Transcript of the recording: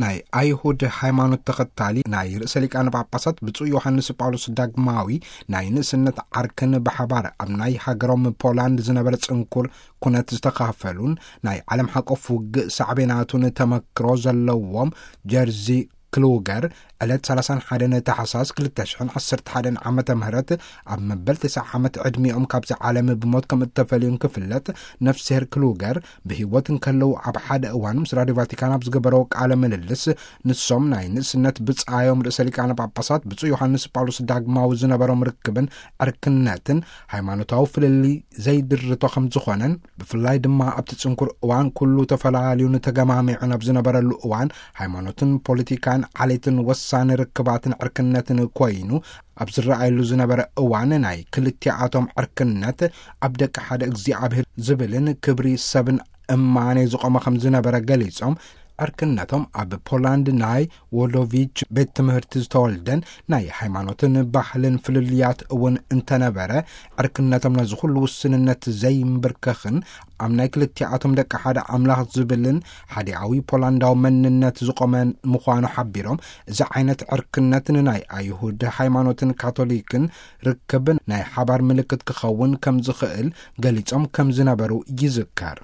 ናይ ኣይሁድ ሃይማኖት ተኸታሊ ናይ ርእሰ ሊቃነ ጳጳሳት ብፁዕ ዮሃንስ ጳውሎስ ዳግማዊ ናይ ንእስነት ዓርክን ብሓባር ኣብ ናይ ሃገሮም ፖላንድ ዝነበረ ጽንኩር ኩነት ዝተኻፈሉን ናይ ዓለም ሓቆፍ ውግእ ሳዕቤናቱን ተመክሮ ዘለዎም ጀርዚ ክሉገር ዕለት ሰላሳን ሓደን ታሕሳስ ክልተ ሽሕን ዓሰርተ ሓደን ዓመተ ምህረት ኣብ መበል ተስዓ ዓመት ዕድሚኦም ካብዚ ዓለም ብሞት ከም እተፈልዩን ክፍለጥ፣ ነፍስሄር ክሉገር ብህይወት እንከለዉ ኣብ ሓደ እዋን ምስ ራድዮ ቫቲካን ኣብ ዝገበረዎ ቃለ ምልልስ፣ ንሶም ናይ ንእስነት ብጻዮም ርእሰ ሊቃነ ጳጳሳት ብፁዕ ዮሃንስ ጳውሎስ ዳግማዊ ዝነበሮም ርክብን ዕርክነትን ሃይማኖታዊ ፍልልይ ዘይድርቶ ከም ዝኾነን፣ ብፍላይ ድማ ኣብቲ ጽንኩር እዋን ኩሉ ተፈላልዩን ተገማሚዑን ኣብ ዝነበረሉ እዋን፣ ሃይማኖትን ፖለቲካን ዓሌትን ወሳኒ ርክባትን ዕርክነትን ኮይኑ ኣብ ዝረኣየሉ ዝነበረ እዋን፣ ናይ ክልቲኣቶም ዕርክነት ኣብ ደቂ ሓደ እግዚኣብሔር ዝብልን ክብሪ ሰብን እማኔ ዝቖመ ከም ዝነበረ ገሊጾም፣ ዕርክነቶም ኣብ ፖላንድ ናይ ዎዶቪች ቤት ትምህርቲ ዝተወልደን ናይ ሃይማኖትን ባህልን ፍልልያት እውን እንተነበረ፣ ዕርክነቶም ነዚ ኩሉ ውስንነት ዘይምብርከኽን ኣብ ናይ ክልቲኣቶም ደቂ ሓደ ኣምላኽ ዝብልን ሓዲኣዊ ፖላንዳዊ መንነት ዝቖመን ምዃኑ ሓቢሮም፣ እዚ ዓይነት ዕርክነት ንናይ ኣይሁድ ሃይማኖትን ካቶሊክን ርክብን ናይ ሓባር ምልክት ክኸውን ከም ዝኽእል ገሊጾም ከም ዝነበሩ ይዝከር።